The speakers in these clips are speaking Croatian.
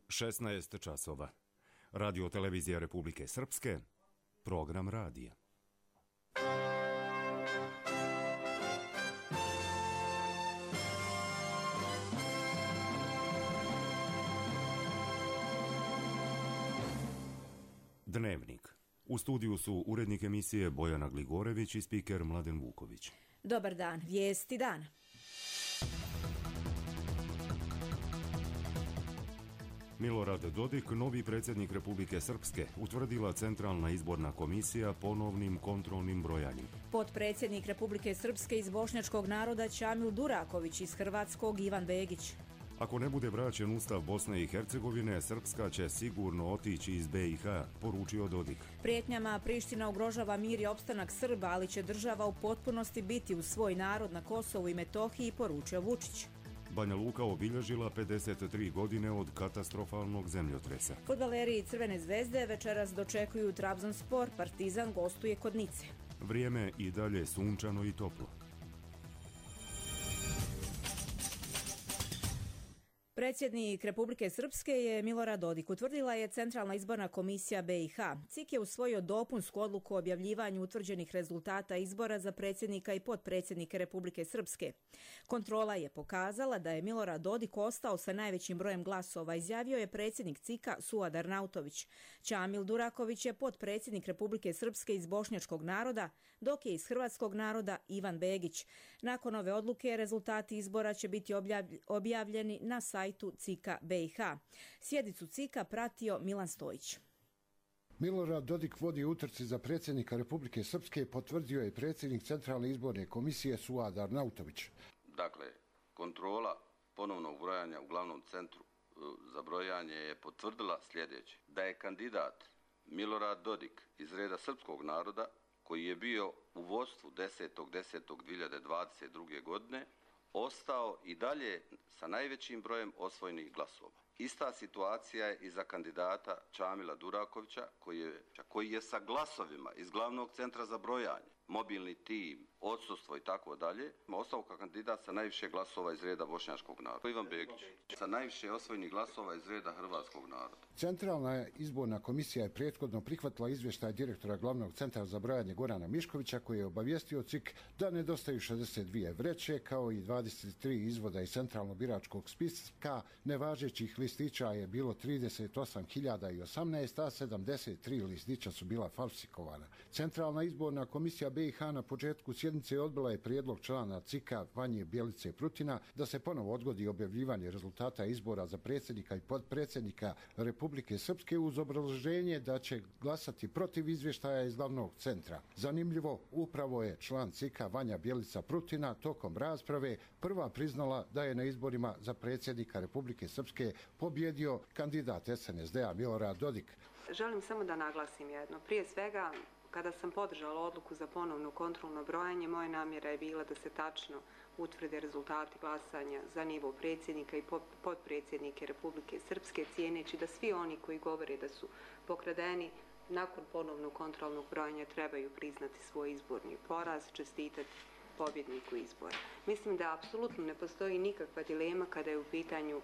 16 časova. Radio televizija Republike Srpske, program radija. Dnevnik. U studiju su urednik emisije Bojana Gligorević i spiker Mladen Vuković. Dobar dan, vijesti dana. Milorad Dodik, novi predsjednik Republike Srpske, utvrdila Centralna izborna komisija ponovnim kontrolnim brojanjem. Potpredsjednik Republike Srpske iz bošnjačkog naroda Čamil Duraković, iz hrvatskog Ivan Begić. Ako ne bude vraćen Ustav Bosne i Hercegovine, Srpska će sigurno otići iz BiH, poručio Dodik. Prijetnjama Priština ugrožava mir i opstanak Srba, ali će država u potpunosti biti uz svoj narod na Kosovu i Metohiji, poručio Vučić. Banja Luka obilježila 53 godine od katastrofalnog zemljotresa. Fudbaleri Crvene zvezde večeras dočekuju Trabzonspor, Partizan gostuje kod Nice. Vrijeme i dalje sunčano i toplo. Predsjednik Republike Srpske je Milorad Dodik. Utvrdila je Centralna izborna komisija BiH. CIK je usvojio dopunsku odluku o objavljivanju utvrđenih rezultata izbora za predsjednika i potpredsjednike Republike Srpske. Kontrola je pokazala da je Milorad Dodik ostao sa najvećim brojem glasova, izjavio je predsjednik CIK-a Suad Arnautović. Čamil Duraković je potpredsjednik Republike Srpske iz bošnjačkog naroda, dok je iz hrvatskog naroda Ivan Begić. Nakon ove odluke rezultati izbora će biti objavljeni na sajtu CIK-a BiH. Sjednicu CIK-a pratio Milan Stojić. Milorad Dodik vodi utrci za predsjednika Republike Srpske, potvrdio je predsjednik Centralne izborne komisije Suad Arnautović. Dakle, kontrola ponovnog brojanja u glavnom centru za brojanje je potvrdila sljedeće: da je kandidat Milorad Dodik iz reda srpskog naroda, koji je bio u vodstvu 10.10.2022. godine, ostao i dalje sa najvećim brojem osvojenih glasova. Ista situacija je i za kandidata Čamila Durakovića, koji je sa glasovima iz glavnog centra za brojanje, mobilni tim, odsustvo i tako dalje, ostao kao kandidat sa najviše glasova iz reda bošnjačkog naroda. Ivan Begić sa najviše osvojenih glasova iz reda hrvatskog naroda. Centralna izborna komisija je prethodno prihvatila izvještaj direktora glavnog centra za brojanje Gorana Miškovića, koji je obavijestio CIK da nedostaju 62 vreće kao i 23 izvoda iz centralnog biračkog spiska. Nevažećih listića je bilo 38.018, a 73 listića su bila falsifikovana. Centralna izborna komisija BiH na početku sjednice odbila je prijedlog člana CIK-a Vanje Bjelice Prutina da se ponovo odgodi objavljivanje rezultata izbora za predsjednika i potpredsjednika Republike Srpske uz obrazloženje da će glasati protiv izvještaja iz glavnog centra. Zanimljivo, upravo je član CIK-a Vanja Bjelica Prutina tokom rasprave prva priznala da je na izborima za predsjednika Republike Srpske pobjedio kandidat SNSD-a Milorad Dodik. Želim samo da naglasim jedno. Prije svega, kada sam podržala odluku za ponovno kontrolno brojanje, moja namjera je bila da se tačno utvrde rezultati glasanja za nivo predsjednika i potpredsjednike Republike Srpske, cijeneći da svi oni koji govore da su pokradeni nakon ponovnog kontrolnog brojanja trebaju priznati svoj izborni poraz, čestitati pobjedniku izbora. Mislim da apsolutno ne postoji nikakva dilema kada je u pitanju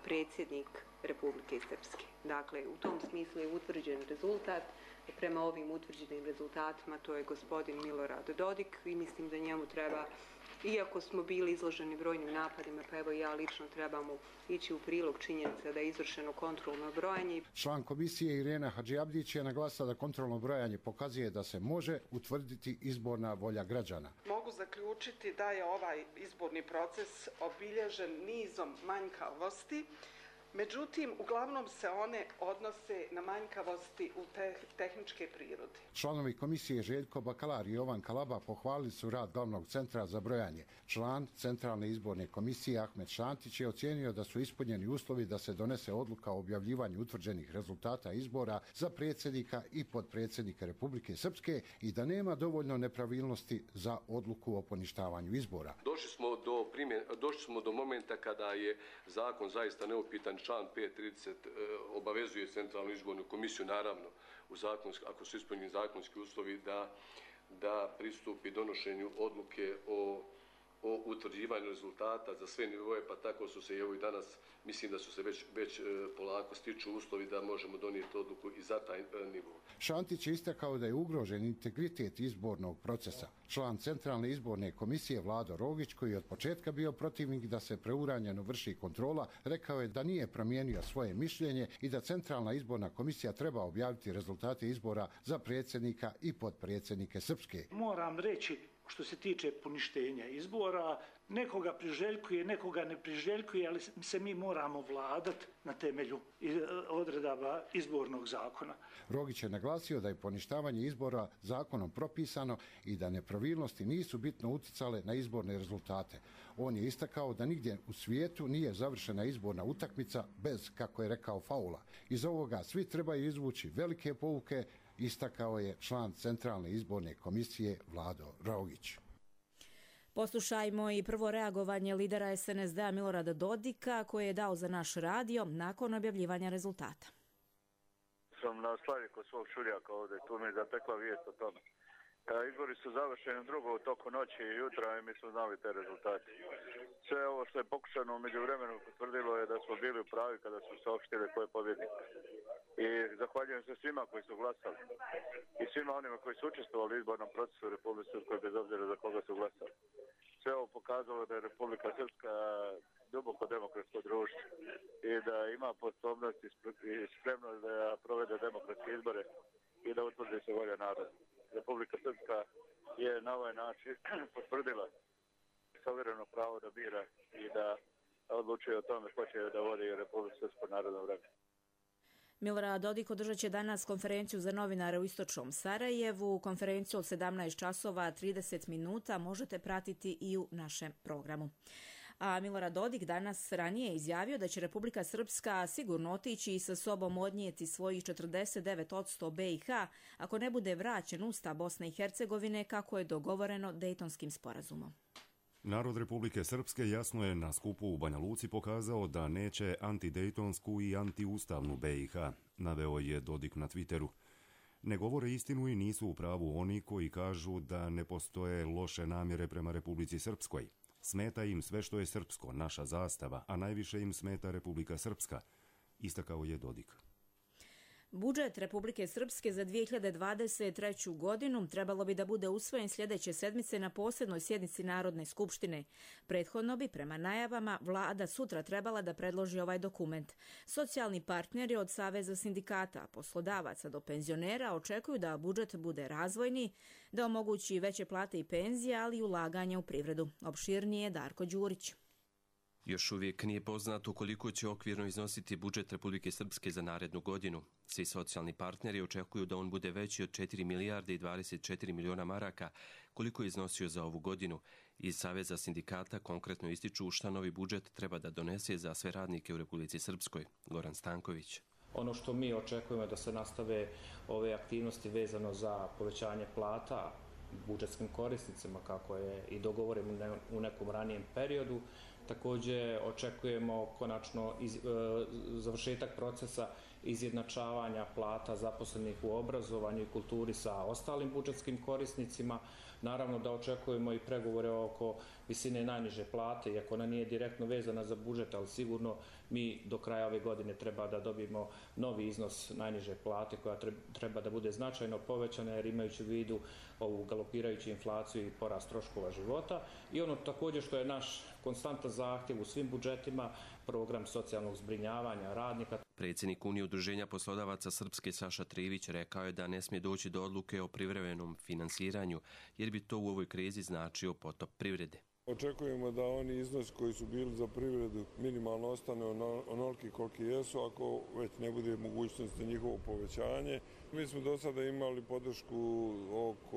predsjednik Republike Srpske. Dakle, u tom smislu je utvrđen rezultat. Prema ovim utvrđenim rezultatima to je gospodin Milorad Dodik i mislim da njemu treba, iako smo bili izloženi brojnim napadima, pa evo ja lično trebamo ići u prilog činjenica da je izvršeno kontrolno brojanje. Član komisije Irena Hadžiabdić je naglasila da kontrolno brojanje pokazuje da se može utvrditi izborna volja građana. Mogu zaključiti da je ovaj izborni proces obilježen nizom manjkavosti. Međutim, uglavnom se one odnose na manjkavosti u tehničke prirode. Članovi komisije Željko Bakalar i Jovan Kalaba pohvalili su rad glavnog centra za brojanje. Član Centralne izborne komisije Ahmed Šantić je ocijenio da su ispunjeni uslovi da se donese odluka o objavljivanju utvrđenih rezultata izbora za predsjednika i potpredsjednika Republike Srpske i da nema dovoljno nepravilnosti za odluku o poništavanju izbora. Došli smo do momenta kada je zakon zaista neupitan. Član 5.30 obavezuje Centralnu izbornu komisiju, naravno, ako su ispunjeni zakonski uslovi, da pristupi donošenju odluke o o utvrđivanju rezultata za sve nivoje, pa tako su se i evo i danas, mislim da su se već polako stiču uslovi da možemo donijeti odluku i za taj nivo. Šantić je istakao da je ugrožen integritet izbornog procesa. Član Centralne izborne komisije Vlado Rogić, koji je od početka bio protivnik da se preuranjeno vrši kontrola, rekao je da nije promijenio svoje mišljenje i da Centralna izborna komisija treba objaviti rezultate izbora za predsjednika i potpredsjednike Srpske. Moram reći, što se tiče poništenja izbora, nekoga priželjkuje, nekoga ne priželjkuje, ali se mi moramo vladati na temelju odredaba izbornog zakona. Rogić je naglasio da je poništavanje izbora zakonom propisano i da nepravilnosti nisu bitno uticale na izborne rezultate. On je istakao da nigdje u svijetu nije završena izborna utakmica bez, kako je rekao, faula. Iz ovoga svi trebaju izvući velike pouke, istakao je član Centralne izborne komisije Vlado Rogić. Poslušajmo i prvo reagovanje lidera SNSD-a Milorada Dodika koje je dao za naš radio nakon objavljivanja rezultata. Sam na slavi kod svog šuljaka ovdje, tu mi je zatekla vijest o tome. Izbori su završeni drugo u toku noći i jutra i mi smo znali te rezultate. Sve ovo što je pokušano u međuvremenu potvrdilo je da smo bili u pravi kada su saopštili ko je pobjednik. I zahvaljujem se svima koji su glasali i svima onima koji su učestvovali u izbornom procesu u Republike Srpskoj bez obzira za koga su glasali. Sve ovo pokazalo da je Republika Srpska duboko demokratsko društvo i da ima sposobnost i spremnost da provede demokratske izbore i da utvrdi se volja naroda. Republika Srpska je na ovaj način potvrdila suvereno pravo da bira i da odlučuje o tome ko će da vodi Republiku Srpsku narodno vreme. Milorad Dodik održat će danas konferenciju za novinare u istočnom Sarajevu. Konferenciju od 17 časova 30 minuta možete pratiti i u našem programu. A Milorad Dodik danas ranije izjavio da će Republika Srpska sigurno otići i sa sobom odnijeti svojih 49% BiH ako ne bude vraćen Ustav Bosne i Hercegovine kako je dogovoreno Dejtonskim sporazumom. Narod Republike Srpske jasno je na skupu u Banja Luci pokazao da neće antidejtonsku i antiustavnu BiH, naveo je Dodik na Twitteru. Ne govore istinu i nisu u pravu oni koji kažu da ne postoje loše namjere prema Republici Srpskoj. Smeta im sve što je srpsko, naša zastava, a najviše im smeta Republika Srpska, istakao je Dodik. Budžet Republike Srpske za 2023. godinu trebalo bi da bude usvojen sljedeće sedmice na posebnoj sjednici Narodne skupštine. Prethodno bi, prema najavama, vlada sutra trebala da predloži ovaj dokument. Socijalni partneri od Saveza sindikata, poslodavaca do penzionera očekuju da budžet bude razvojni, da omogući veće plate i penzije, ali i ulaganje u privredu. Opširnije Darko Đurić. Još uvijek nije poznato koliko će okvirno iznositi budžet Republike Srpske za narednu godinu. Svi socijalni partneri očekuju da on bude veći od 4 milijarde i 24 miliona maraka, koliko je iznosio za ovu godinu. Iz Saveza sindikata konkretno ističu šta novi budžet treba da donese za sve radnike u Republici Srpskoj. Goran Stanković. Ono što mi očekujemo je da se nastave ove aktivnosti vezano za povećanje plata budžetskim korisnicima, kako je i dogovoreno u nekom ranijem periodu. Također očekujemo konačno završetak procesa izjednačavanja plata zaposlenih u obrazovanju i kulturi sa ostalim budžetskim korisnicima. Naravno da očekujemo i pregovore oko visine najniže plate, iako ona nije direktno vezana za budžet, ali sigurno mi do kraja ove godine treba da dobijemo novi iznos najniže plate koja treba da bude značajno povećana jer imajući u vidu ovu galopirajuću inflaciju i porast troškova života. I ono također što je naš konstantan zahtjev u svim budžetima, program socijalnog zbrinjavanja radnika. Predsjednik Unije udruženja poslodavaca Srpske Saša Trivić rekao je da ne smije doći do odluke o privremenom finansiranju, jer bi to u ovoj krizi značio potop privrede. Očekujemo da oni iznos koji su bili za privredu minimalno ostane onoliki koliki jesu, ako već ne bude mogućnosti njihovo povećanje. Mi smo do sada imali podršku oko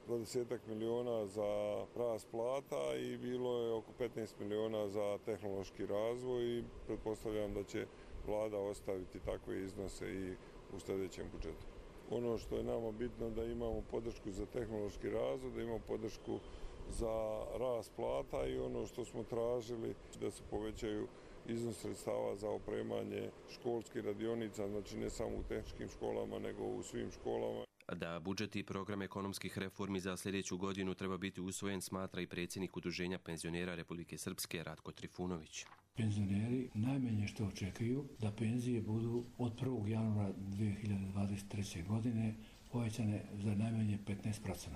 20 miliona za rast plata i bilo je oko 15 miliona za tehnološki razvoj i pretpostavljam da će vlada ostaviti takve iznose i u sljedećem budžetu. Ono što je nama bitno da imamo podršku za tehnološki razvoj, da imamo podršku za rast plata i ono što smo tražili da se povećaju iznos sredstava za opremanje školskih radionica, znači ne samo u tehničkim školama nego u svim školama. Da budžet i program ekonomskih reformi za sljedeću godinu treba biti usvojen, smatra i predsjednik Udruženja penzionera Republike Srpske Ratko Trifunović. Penzioneri najmanje što očekuju da penzije budu od 1. januara 2023. godine povećane za najmanje 15%.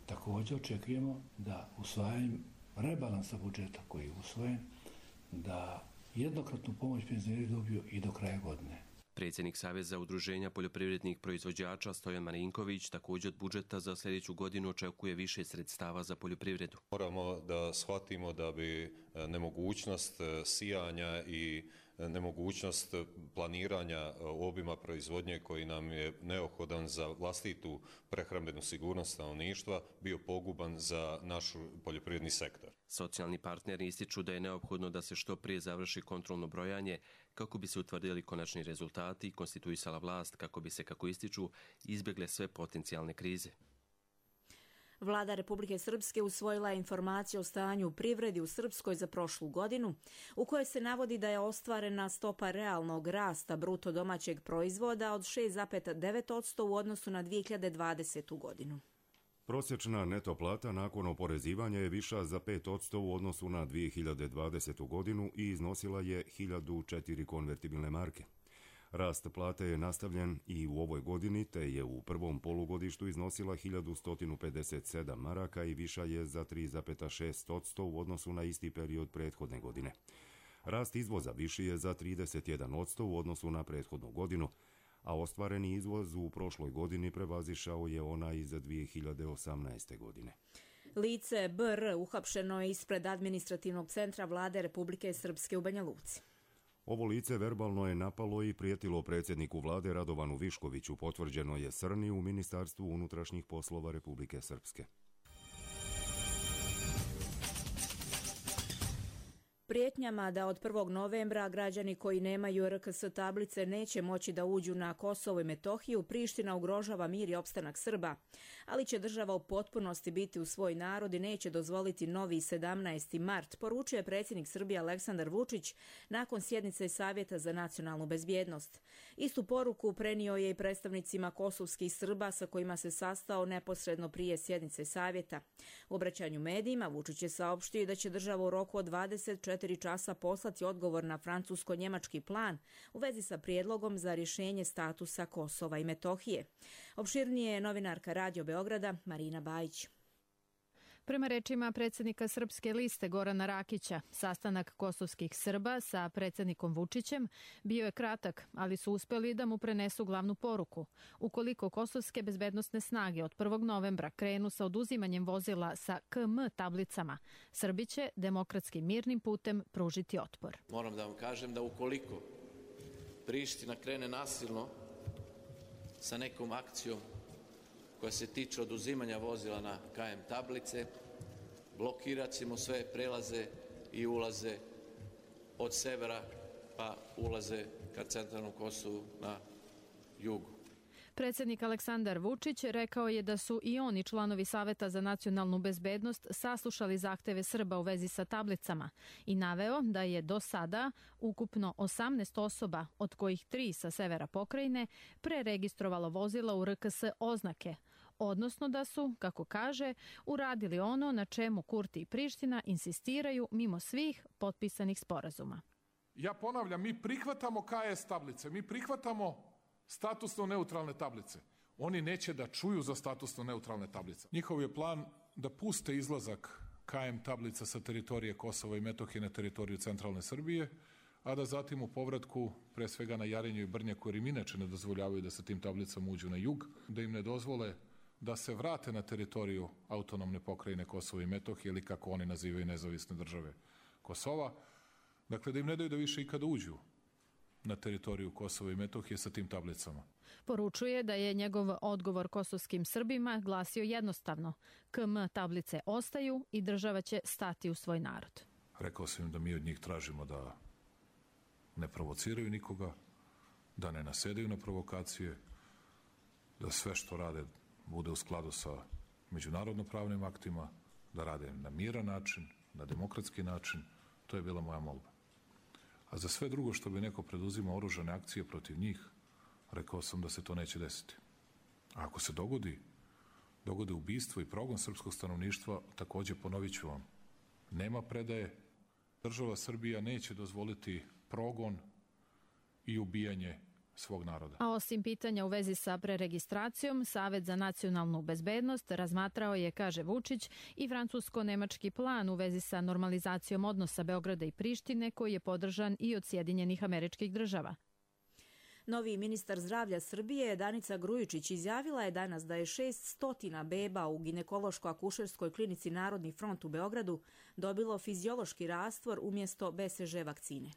Također očekujemo da usvajanjem rebalansa budžeta koji je usvojen, da jednokratnu pomoć penzioneri dobiju i do kraja godine. Predsjednik Saveza udruženja poljoprivrednih proizvođača Stojan Marinković također od budžeta za sljedeću godinu očekuje više sredstava za poljoprivredu. Moramo da shvatimo da bi nemogućnost sijanja i nemogućnost planiranja obima proizvodnje koji nam je neophodan za vlastitu prehrambenu sigurnost stanovništva bio poguban za naš poljoprivredni sektor. Socijalni partneri ističu da je neophodno da se što prije završi kontrolno brojanje kako bi se utvrdili konačni rezultati i konstituisala vlast kako bi se, kako ističu, izbjegle sve potencijalne krize. Vlada Republike Srpske usvojila je informaciju o stanju u privredi u Srpskoj za prošlu godinu, u kojoj se navodi da je ostvarena stopa realnog rasta bruto domaćeg proizvoda od 6,9% u odnosu na 2020. godinu. Prosječna neto plata nakon oporezivanja je viša za 5% u odnosu na 2020. godinu i iznosila je 1004 konvertibilne marke. Rast plate je nastavljen i u ovoj godini, te je u prvom polugodištu iznosila 1157 maraka i viša je za 3,6% u odnosu na isti period prethodne godine. Rast izvoza viši je za 31% u odnosu na prethodnu godinu, a ostvareni izvoz u prošloj godini prevazišao je onaj iz 2018. godine. Lice BR uhapšeno je ispred administrativnog centra Vlade Republike Srpske u Banja Luci. Ovo lice verbalno je napalo i prijetilo predsjedniku vlade Radovanu Viškoviću, potvrđeno je Srni u Ministarstvu unutrašnjih poslova Republike Srpske. Prijetnjama da od 1. novembra građani koji nemaju RKS tablice neće moći da uđu na Kosovo i Metohiju, Priština ugrožava mir i opstanak Srba, ali će država u potpunosti biti u svoj narod i neće dozvoliti novi 17. mart, poručuje predsjednik Srbije Aleksandar Vučić nakon sjednice Savjeta za nacionalnu bezbjednost. Istu poruku prenio je i predstavnicima kosovskih Srba sa kojima se sastao neposredno prije sjednice Savjeta. U obraćanju medijima Vučić je saopštio da će država u roku od 24 časa poslati odgovor na francusko-njemački plan u vezi sa prijedlogom za rješenje statusa Kosova i Metohije. Opširnije je novinarka Radio Beograda Marina Bajić. Prema rečima predsjednika Srpske liste Gorana Rakića, sastanak kosovskih Srba sa predsjednikom Vučićem bio je kratak, ali su uspjeli da mu prenesu glavnu poruku. Ukoliko kosovske bezbednosne snage od 1. novembra krenu sa oduzimanjem vozila sa KM tablicama, Srbi će demokratskim mirnim putem pružiti otpor. Moram da vam kažem da ukoliko Priština krene nasilno sa nekom akcijom koja se tiče oduzimanja vozila na KM tablice, blokirat ćemo sve prelaze i ulaze od severa pa ulaze ka centralnom Kosovu na jugu. Predsjednik Aleksandar Vučić rekao je da su i oni članovi Saveta za nacionalnu bezbednost saslušali zahteve Srba u vezi sa tablicama i naveo da je do sada ukupno 18 osoba, od kojih 3 sa severa pokrajine, preregistrovalo vozila u RKS oznake, odnosno da su, kako kaže, uradili ono na čemu Kurti i Priština insistiraju mimo svih potpisanih sporazuma. Ja ponavljam, mi prihvatamo KS tablice, mi prihvatamo statusno neutralne tablice. Oni neće da čuju za statusno neutralne tablice. Njihov je plan da puste izlazak KM tablica sa teritorije Kosova i Metohije na teritoriju centralne Srbije, a da zatim u povratku, pre svega na Jarinju i Brnjaku, jer im inače ne dozvoljavaju da sa tim tablicama uđu na jug, da im ne dozvole da se vrate na teritoriju autonomne pokrajine Kosova i Metohije ili kako oni nazivaju nezavisne države Kosova. Dakle, da im ne daju da više ikada uđu na teritoriju Kosova i Metohije sa tim tablicama. Poručuje da je njegov odgovor kosovskim Srbima glasio jednostavno. KM tablice ostaju i država će stati u svoj narod. Rekao sam im da mi od njih tražimo da ne provociraju nikoga, da ne nasedaju na provokacije, da sve što rade bude u skladu sa međunarodno-pravnim aktima, da rade na miran način, na demokratski način. To je bila moja molba. A za sve drugo što bi neko preduzimao oružane akcije protiv njih, rekao sam da se to neće desiti. A ako se dogode ubistvo i progon srpskog stanovništva, takođe ponovit ću vam, nema predaje. Država Srbija neće dozvoliti progon i ubijanje svog naroda. A osim pitanja u vezi sa preregistracijom, Savet za nacionalnu bezbednost razmatrao je, kaže Vučić, i francusko-nemački plan u vezi sa normalizacijom odnosa Beograda i Prištine, koji je podržan i od Sjedinjenih Američkih Država. Novi ministar zdravlja Srbije, Danica Grujičić, izjavila je danas da je 600 beba u ginekološko-akušerskoj klinici Narodni front u Beogradu dobilo fiziološki rastvor umjesto BCG vakcine.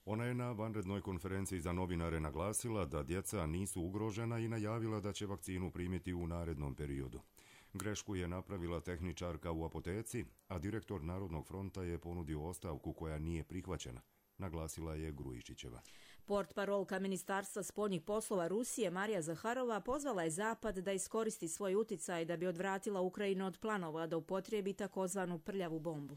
Ona je na vanrednoj konferenciji za novinare naglasila da djeca nisu ugrožena i najavila da će vakcinu primiti u narednom periodu. Grešku je napravila tehničarka u apoteci, a direktor Narodnog fronta je ponudio ostavku koja nije prihvaćena, naglasila je Grujičićeva. Portparolka Ministarstva spoljnih poslova Rusije Marija Zaharova pozvala je Zapad da iskoristi svoj uticaj da bi odvratila Ukrajinu od planova da upotrijebi takozvanu prljavu bombu.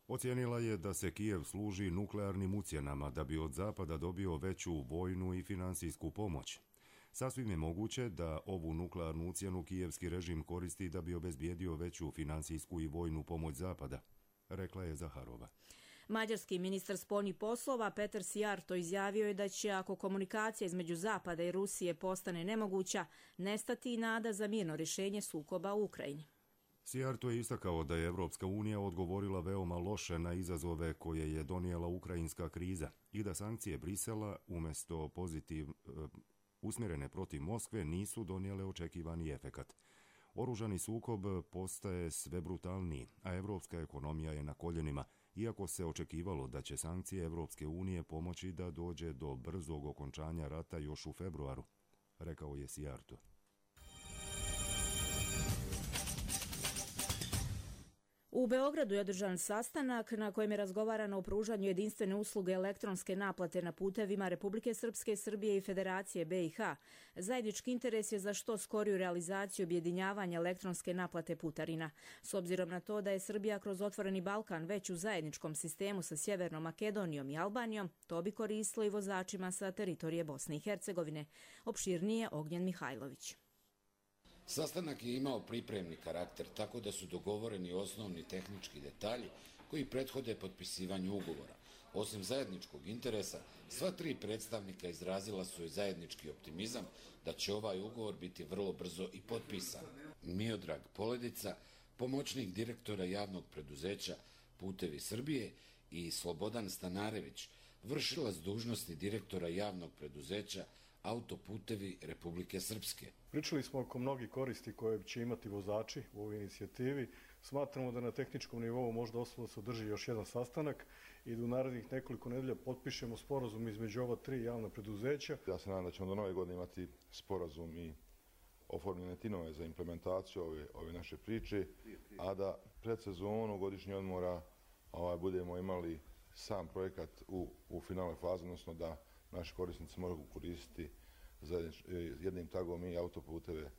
Ocijenila je da se Kijev služi nuklearnim ucjenama da bi od Zapada dobio veću vojnu i finansijsku pomoć. Sasvim je moguće da ovu nuklearnu ucjenu kijevski režim koristi da bi obezbijedio veću finansijsku i vojnu pomoć Zapada, rekla je Zaharova. Mađarski ministar spoljnih poslova Petar Sijarto izjavio je da će, ako komunikacija između Zapada i Rusije postane nemoguća, nestati i nada za mirno rješenje sukoba u Ukrajini. Sijarto je istakao da je Evropska unija odgovorila veoma loše na izazove koje je donijela ukrajinska kriza i da sankcije Brisela umjesto usmjerene protiv Moskve nisu donijele očekivani efekat. Oružani sukob postaje sve brutalniji, a evropska ekonomija je na koljenima, iako se očekivalo da će sankcije Evropske unije pomoći da dođe do brzog okončanja rata još u februaru, rekao je Sijarto. U Beogradu je održan sastanak na kojem je razgovarano o pružanju jedinstvene usluge elektronske naplate na putevima Republike Srpske, Srbije i Federacije BiH. Zajednički interes je za što skoriju realizaciju objedinjavanja elektronske naplate putarina. S obzirom na to da je Srbija kroz Otvoreni Balkan već u zajedničkom sistemu sa Sjevernom Makedonijom i Albanijom, to bi koristilo i vozačima sa teritorije Bosne i Hercegovine. Opširnije Ognjen Mihajlović. Sastanak je imao pripremni karakter, tako da su dogovoreni osnovni tehnički detalji koji prethode potpisivanju ugovora. Osim zajedničkog interesa, sva tri predstavnika izrazila su i zajednički optimizam da će ovaj ugovor biti vrlo brzo i potpisan. Miodrag Poledica, pomoćnik direktora javnog preduzeća Putevi Srbije, i Slobodan Stanarević, vršilac dužnosti direktora javnog preduzeća Autoputevi Republike Srpske. Pričali smo oko mnogih koristi koje će imati vozači u ovoj inicijativi. Smatramo da na tehničkom nivou možda ostalo se održi još jedan sastanak i da u narednih nekoliko nedelja potpišemo sporazum između ova tri javna preduzeća. Ja se nadam da ćemo do nove godine imati sporazum i oformljene timove za implementaciju ove naše priče, a da pred sezonu godišnjeg odmora budemo imali sam projekat u finalnoj fazi, odnosno da naši korisnici mogu koristiti jednim tagom i autoputeve.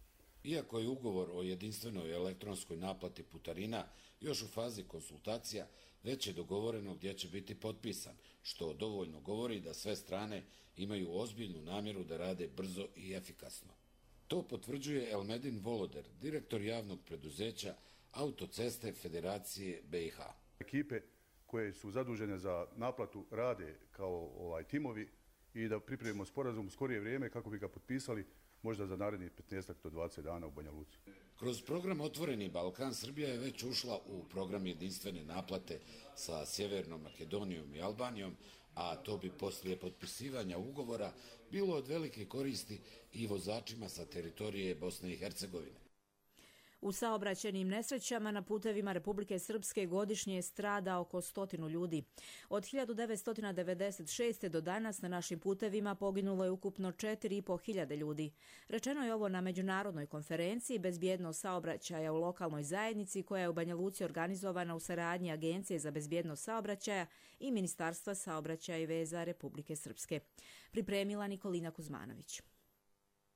Iako je ugovor o jedinstvenoj elektronskoj naplati putarina još u fazi konsultacija, već je dogovoreno gdje će biti potpisan, što dovoljno govori da sve strane imaju ozbiljnu namjeru da rade brzo i efikasno. To potvrđuje Elmedin Voloder, direktor javnog preduzeća Autoceste Federacije BiH. Ekipe koje su zadužene za naplatu rade kao timovi i da pripremimo sporazum u skorije vrijeme kako bi ga potpisali možda za narednih 15 do 20 dana u Banja Luci. Kroz program Otvoreni Balkan Srbija je već ušla u program jedinstvene naplate sa Sjevernom Makedonijom i Albanijom, a to bi poslije potpisivanja ugovora bilo od velike koristi i vozačima sa teritorije Bosne i Hercegovine. U saobraćajnim nesrećama na putevima Republike Srpske godišnje strada oko 100 ljudi. Od 1996. do danas na našim putevima poginulo je ukupno 4.500 ljudi. Rečeno je ovo na međunarodnoj konferenciji Bezbjednost saobraćaja u lokalnoj zajednici koja je u Banja Luci organizovana u saradnji Agencije za bezbjednost saobraćaja i Ministarstva saobraćaja i veza Republike Srpske. Pripremila Nikolina Kuzmanović.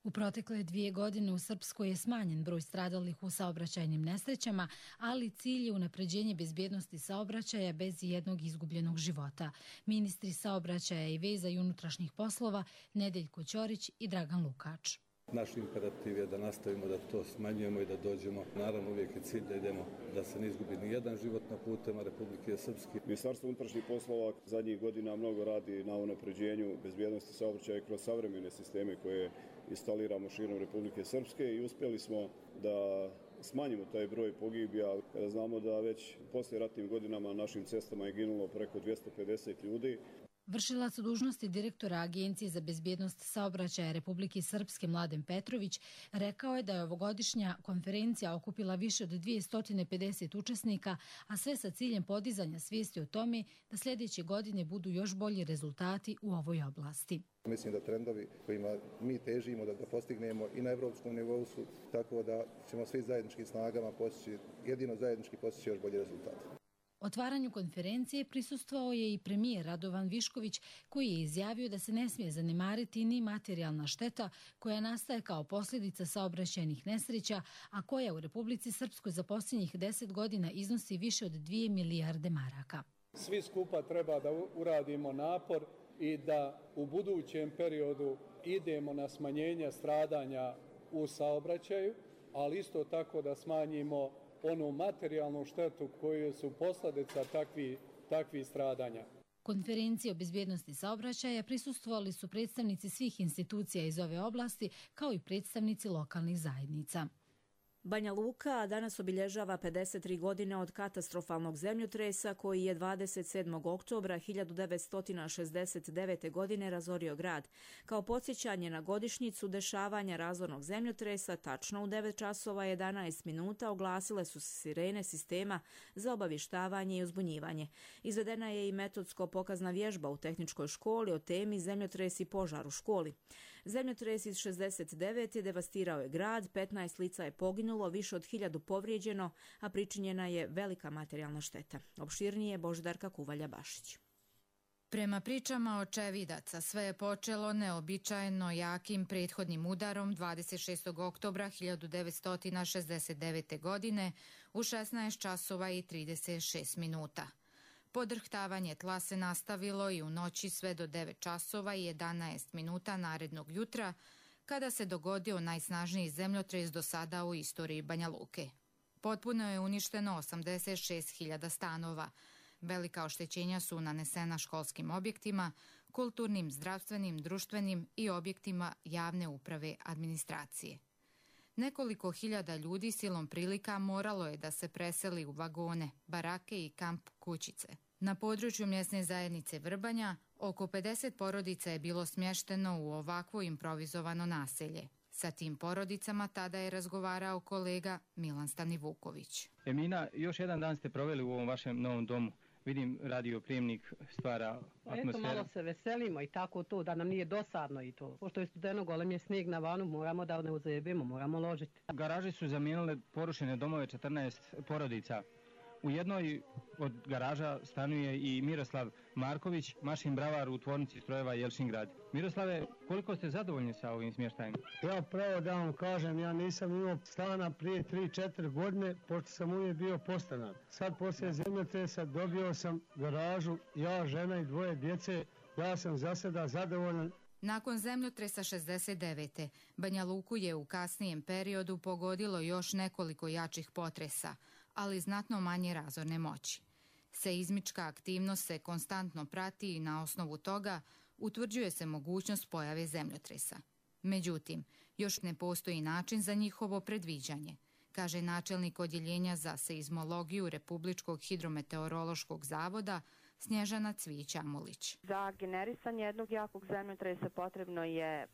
U protekle 2 godine u Srpskoj je smanjen broj stradalih u saobraćajnim nesrećama, ali cilj je unapređenje bezbjednosti saobraćaja bez jednog izgubljenog života. Ministri saobraćaja i veza i unutrašnjih poslova Nedeljko Ćorić i Dragan Lukač. Naš imperativ je da nastavimo da to smanjujemo i da dođemo. Naravno, uvijek je cilj da idemo, da se ne izgubi ni jedan život na putima Republike Srpske. Ministarstvo unutrašnjih poslova zadnjih godina mnogo radi na unapređenju bezbjednosti saobraćaja kroz savremene sisteme koje instaliramo širom Republike Srpske i uspjeli smo da smanjimo taj broj pogibija, kada znamo da već poslije ratnim godinama na našim cestama je ginulo preko 250 ljudi. Vršilac dužnosti direktora Agencije za bezbjednost saobraćaja Republike Srpske Mladen Petrović rekao je da je ovogodišnja konferencija okupila više od 250 učesnika, a sve sa ciljem podizanja svijesti o tome da sljedeće godine budu još bolji rezultati u ovoj oblasti. Mislim da trendovi kojima mi težimo da postignemo i na evropskom nivou su tako da ćemo svi zajedničkim snagama postići, jedino zajednički postići još bolji rezultat. Otvaranju konferencije prisustvovao je i premijer Radovan Višković, koji je izjavio da se ne smije zanemariti ni materijalna šteta koja nastaje kao posljedica saobraćajnih nesreća, a koja u Republici Srpskoj za posljednjih 10 godina iznosi više od 2 milijarde maraka. Svi skupa treba da uradimo napor i da u budućem periodu idemo na smanjenje stradanja u saobraćaju, ali isto tako da smanjimo onu materijalnu štetu koju su posljedica takvih stradanja. Konferenciji o bezbjednosti saobraćaja prisustvovali su predstavnici svih institucija iz ove oblasti, kao i predstavnici lokalnih zajednica. Banja Luka danas obilježava 53 godine od katastrofalnog zemljotresa koji je 27. oktobra 1969. godine razorio grad. Kao podsjećanje na godišnjicu dešavanja razornog zemljotresa, tačno u 9 časova 11 minuta oglasile su se sirene sistema za obavještavanje i uzbunjivanje. Izvedena je i metodsko-pokazna vježba u tehničkoj školi o temi zemljotres i požar u školi. Zemljotres iz 69. devastirao je grad, 15 lica je poginulo, više od 1000 povrijeđeno, a pričinjena je velika materijalna šteta. Opširnije Božidarka Kuvalja-Bašić. Prema pričama očevidaca, sve je počelo neobičajno jakim prethodnim udarom 26. oktobra 1969. godine u 16 časova i 36 minuta. Podrhtavanje tla se nastavilo i u noći sve do 9 časova i 11 minuta narednog jutra, kada se dogodio najsnažniji zemljotres do sada u istoriji Banja Luke. Potpuno je uništeno 86.000 stanova. Velika oštećenja su nanesena školskim objektima, kulturnim, zdravstvenim, društvenim i objektima javne uprave administracije. Nekoliko hiljada ljudi silom prilika moralo je da se preseli u vagone, barake i kamp kućice. Na području mjesne zajednice Vrbanja oko 50 porodica je bilo smješteno u ovakvo improvizovano naselje. Sa tim porodicama tada je razgovarao kolega Milan Stanivuković. Emina, još jedan dan ste proveli u ovom vašem novom domu. Vidim, radioprijemnik stvara atmosferu. Eto, malo se veselimo i tako to, da nam nije dosadno i to. Pošto je studeno, golem je snijeg na vanu, moramo da ne uzajebimo, moramo ložiti. Garaže su zamijenile porušene domove 14 porodica. U jednoj od garaža stanuje i Miroslav Marković, mašin bravar u tvornici strojeva Jelšingrad. Miroslave, koliko ste zadovoljni sa ovim smještajem? Ja pravo da vam kažem, ja nisam imao stana prije 3-4 godine, pošto sam uvijek bio podstanar. Sad poslije zemljotresa dobio sam garažu, ja, žena i 2 djece, ja sam za sada zadovoljan. Nakon zemljotresa 69. Banja Luku je u kasnijem periodu pogodilo još nekoliko jačih potresa, ali znatno manje razorne moći. Seizmička aktivnost se konstantno prati i na osnovu toga utvrđuje se mogućnost pojave zemljotresa. Međutim, još ne postoji način za njihovo predviđanje, kaže načelnik odjeljenja za seizmologiju Republičkog hidrometeorološkog zavoda Snježana Cvić-Amulić. Za generisanje jednog jakog zemljotresa potrebno je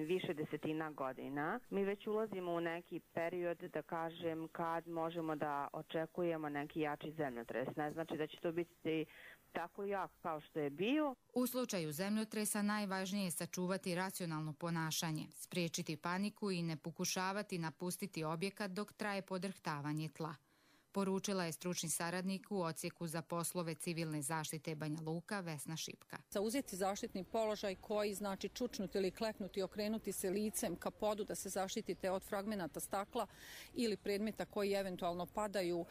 više desetina godina. Mi već ulazimo u neki period, da kažem, kad možemo da očekujemo neki jači zemljotres. Ne znači da će to biti tako jak kao što je bio. U slučaju zemljotresa najvažnije je sačuvati racionalno ponašanje, spriječiti paniku i ne pokušavati napustiti objekat dok traje podrhtavanje tla. Poručila je stručni saradnik u odsjeku za poslove civilne zaštite Banja Luka Vesna Šipka. Zauzeti zaštitni položaj koji znači čučnuti ili kleknuti, okrenuti se licem ka podu da se zaštitite od fragmenata stakla ili predmeta koji eventualno padaju,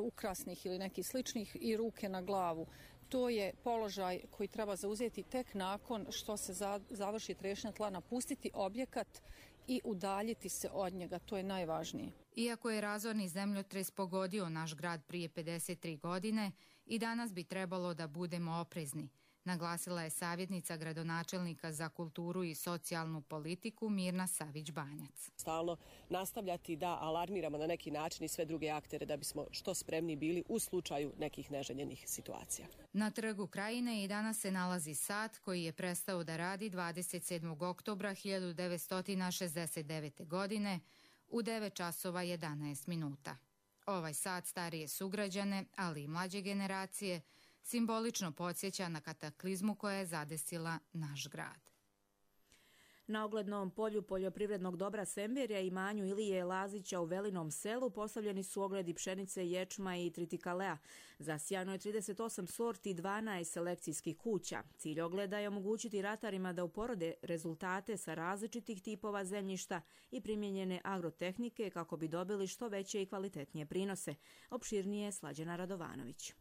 ukrasnih ili nekih sličnih, i ruke na glavu. To je položaj koji treba zauzeti tek nakon što se završi trešnja tla, napustiti objekat i udaljiti se od njega. To je najvažnije. Iako je razorni zemljotres pogodio naš grad prije 53 godine, i danas bi trebalo da budemo oprezni, naglasila je savjetnica gradonačelnika za kulturu i socijalnu politiku Mirna Savić-Banjac. Stalno nastavljati da alarmiramo na neki način i sve druge aktere da bismo što spremni bili u slučaju nekih neželjenih situacija. Na Trgu Krajine i danas se nalazi sat koji je prestao da radi 27. oktobra 1969. godine u 9 časova 11 minuta. Ovaj sat starije sugrađane, ali i mlađe generacije, simbolično podsjeća na kataklizmu koja je zadesila naš grad. Na oglednom polju poljoprivrednog dobra Semberja i imanju Ilije Lazića u Velinom selu postavljeni su ogledi pšenice, ječma i tritikalea. Zasijano je 38 sorti i 12 selekcijskih kuća. Cilj ogleda je omogućiti ratarima da uporode rezultate sa različitih tipova zemljišta i primijenjene agrotehnike kako bi dobili što veće i kvalitetnije prinose. Opširnije Slađana Radovanović.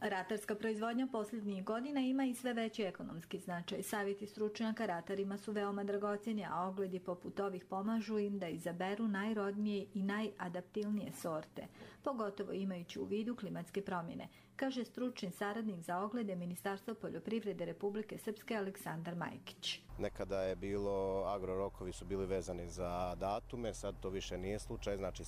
Ratarska proizvodnja posljednjih godina ima i sve veći ekonomski značaj. Savjeti stručnjaka ratarima su veoma dragocjeni, a ogledi poput ovih pomažu im da izaberu najrodnije i najadaptivnije sorte, pogotovo imajući u vidu klimatske promjene, kaže stručni saradnik za oglede Ministarstva poljoprivrede Republike Srpske Aleksandar Majkić. Nekada je bilo, agrorokovi su bili vezani za datume, sad to više nije slučaj, znači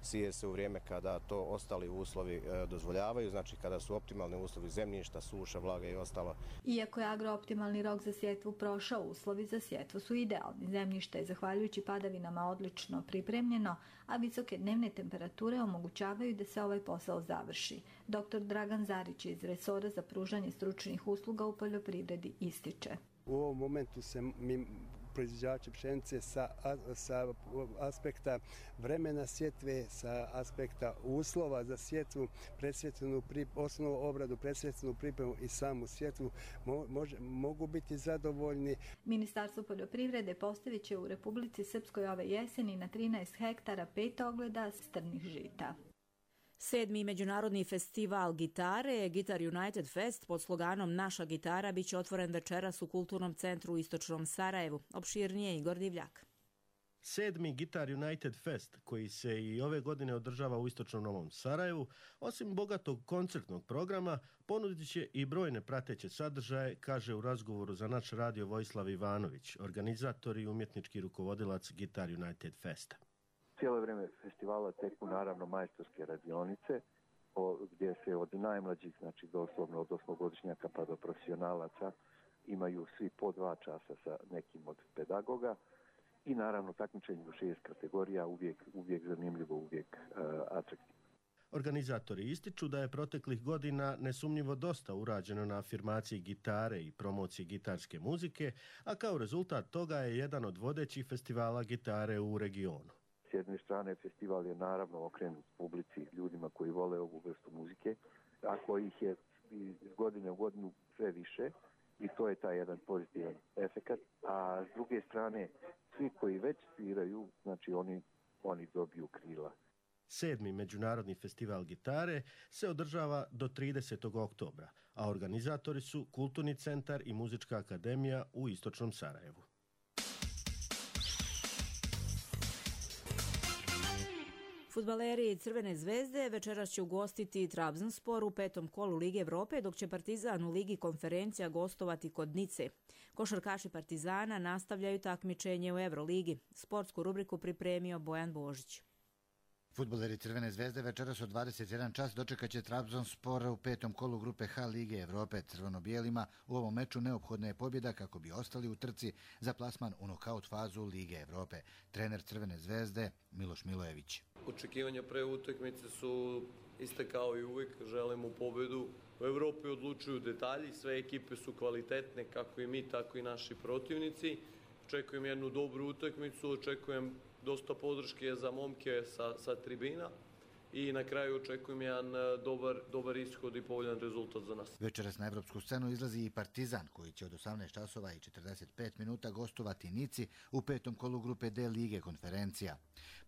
sije se u vrijeme kada to ostali uslovi dozvoljavaju, znači kada su optimalni uslovi zemljišta, suša, vlaga i ostalo. Iako je agrooptimalni rok za sjetvu prošao, uslovi za sjetvu su idealni. Zemljište je zahvaljujući padavinama odlično pripremljeno, a visoke dnevne temperature omogućavaju da se ovaj posao završi. Dr. Dragan Zarić iz resora za pružanje stručnih usluga u poljoprivredi ističe. U ovom momentu se mi proizvođači pšenice sa aspekta vremena sjetve, sa aspekta uslova za sjetvu, osnovnu obradu, predsjetvenu pripremu i samu sjetvu mogu biti zadovoljni. Ministarstvo poljoprivrede postavit će u Republici Srpskoj ove jeseni na 13 hektara 5 ogleda strnih žita. 7. međunarodni festival gitare, Guitar United Fest, pod sloganom Naša gitara, bit će otvoren večeras u Kulturnom centru u Istočnom Sarajevu. Opširnije Igor Divljak. 7. Guitar United Fest, koji se i ove godine održava u Istočnom Novom Sarajevu, osim bogatog koncertnog programa, ponudit će i brojne prateće sadržaje, kaže u razgovoru za naš radio Vojislav Ivanović, organizator i umjetnički rukovodilac Guitar United Festa. Cijelo vrijeme festivala teku naravno majstorske radionice gdje se od najmlađih, znači doslovno od 8-godišnjaka pa do profesionalaca imaju svi po 2 časa sa nekim od pedagoga i naravno takmičenje u 6 kategorija, uvijek zanimljivo, uvijek atraktivno. Organizatori ističu da je proteklih godina nesumnjivo dosta urađeno na afirmaciji gitare i promociji gitarske muzike, a kao rezultat toga je jedan od vodećih festivala gitare u regionu. S jedne strane festival je naravno okrenut publici, ljudima koji vole ovu vrstu muzike, a kojih je iz godine u godinu sve više i to je taj jedan pozitivan efekat. A s druge strane, svi koji već sviraju, znači oni dobiju krila. 7. međunarodni festival gitare se održava do 30. oktobra, a organizatori su Kulturni centar i Muzička akademija u Istočnom Sarajevu. Fudbaleri Crvene zvezde večeras će ugostiti Trabzonspor u 5. kolu Lige Evrope, dok će Partizan u Ligi konferencija gostovati kod Nice. Košarkaši Partizana nastavljaju takmičenje u Euroligi. Sportsku rubriku pripremio Bojan Božić. Fudbaleri Crvene zvezde večeras od 21 čas dočekat će Trabzonspor u 5. kolu grupe H Lige Evrope. Crveno-bijelima u ovom meču neophodna je pobjeda kako bi ostali u trci za plasman u nokaut fazu Lige Evrope. Trener Crvene zvezde Miloš Milojević. Očekivanja pre utakmice su iste kao i uvijek, želimo pobjedu. U Evropi odlučuju detalji, sve ekipe su kvalitetne, kako i mi, tako i naši protivnici. Očekujem jednu dobru utakmicu, očekujem dosta podrške za momke sa tribina i na kraju očekujem jedan dobar ishod i povoljan rezultat za nas. Večeras na evropsku scenu izlazi i Partizan koji će od 18 časova i 45 minuta gostovati Nici u 5. kolu grupe D Lige konferencija.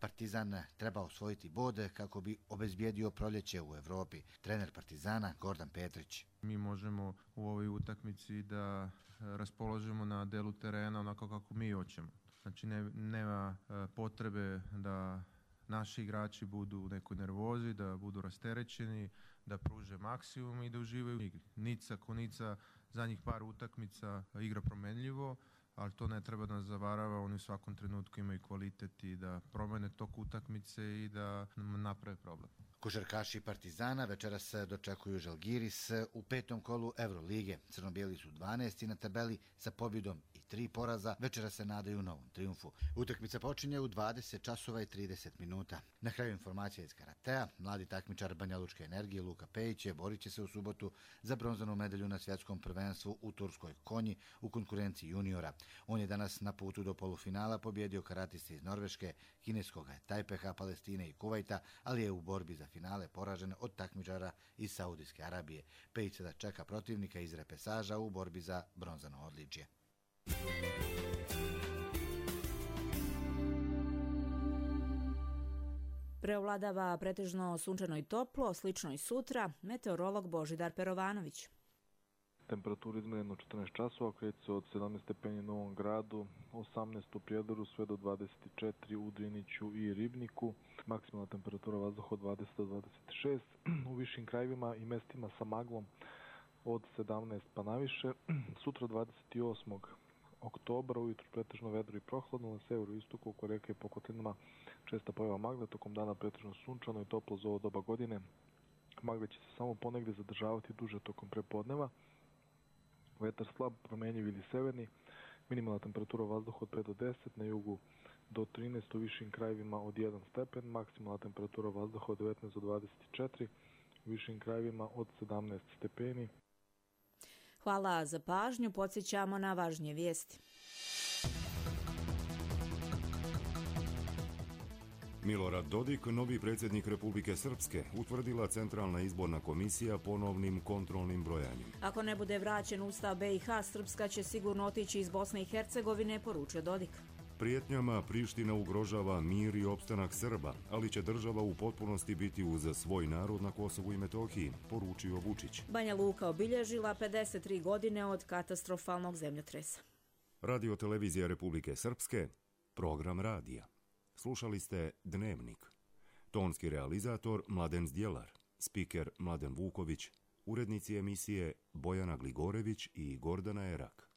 Partizan treba osvojiti bod kako bi obezbijedio proljeće u Evropi. Trener Partizana Gordan Petrić. Mi možemo u ovoj utakmici da raspoložimo na delu terena onako kako mi hoćemo. Znači nema potrebe da naši igrači budu u nekoj nervozi, da budu rasterećeni, da pruže maksimum i da uživaju u igri. Nica ko Nica zadnjih par utakmica igra promenljivo, ali to ne treba da nas zavarava, oni u svakom trenutku imaju kvalitet i da promene tok utakmice i da naprave problem. Košarkaši Partizana večeras dočekuju Žalgiris u 5. kolu Evrolige. Crno-bijeli su 12. na tabeli sa pobjedom i 3 poraza. Večeras se nadaju novom trijumfu. Utakmica počinje u 20 časova i 30 minuta. Na kraju informacija iz karatea. Mladi takmičar Banja Lučke energije Luka Pejić borit će se u subotu za bronzanu medalju na svjetskom prvenstvu u Turskoj Konji u konkurenciji juniora. On je danas na putu do polufinala pobjedio karatiste iz Norveške, kineskog Tajpeha, Palestine i Kuvajta, ali je u borbi za finale poražen od takmičara iz Saudijske Arabije. Pejić sada čeka protivnika iz repesaža u borbi za bronzano odličje. Preovladava pretežno sunčano i toplo, slično i sutra, meteorolog Božidar Perovanović. Temperatura izmjerena 14 časova, kreće se od 17 stepeni u Novom Gradu, 18 u Prijedoru, sve do 24 u Driniću i Ribniku. Maksimalna temperatura vazduha od 20 do 26. U višim krajevima i mestima sa maglom od 17 pa naviše. Sutra 28. oktobra ujutru pretežno vedro i prohladno, na severu i istoku oko reke po kotlinama česta pojava magle, tokom dana pretežno sunčano i toplo za ovo doba godine. Magle će se samo ponegdje zadržavati duže tokom prepodneva. Vetar slab, promenjiv ili severni, minimalna temperatura vazduha od 5 do 10, na jugu do 13, u višim krajevima od 1 stepen, maksimalna temperatura vazduha od 19 do 24, u višim krajevima od 17 stepeni. Hvala za pažnju, podsjećamo na važnije vijesti. Milorad Dodik, novi predsjednik Republike Srpske, utvrdila Centralna izborna komisija ponovnim kontrolnim brojanjem. Ako ne bude vraćen Ustav BiH, Srpska će sigurno otići iz Bosne i Hercegovine, poručio Dodik. Prijetnjama Priština ugrožava mir i opstanak Srba, ali će država u potpunosti biti uz svoj narod na Kosovu i Metohiji, poručio Vučić. Banja Luka obilježila 53 godine od katastrofalnog zemljotresa. Radio televizija Republike Srpske, program radija. Slušali ste Dnevnik. Tonski realizator Mladen Zdjelar, spiker Mladen Vuković, urednici emisije Bojana Gligorević i Gordana Erak.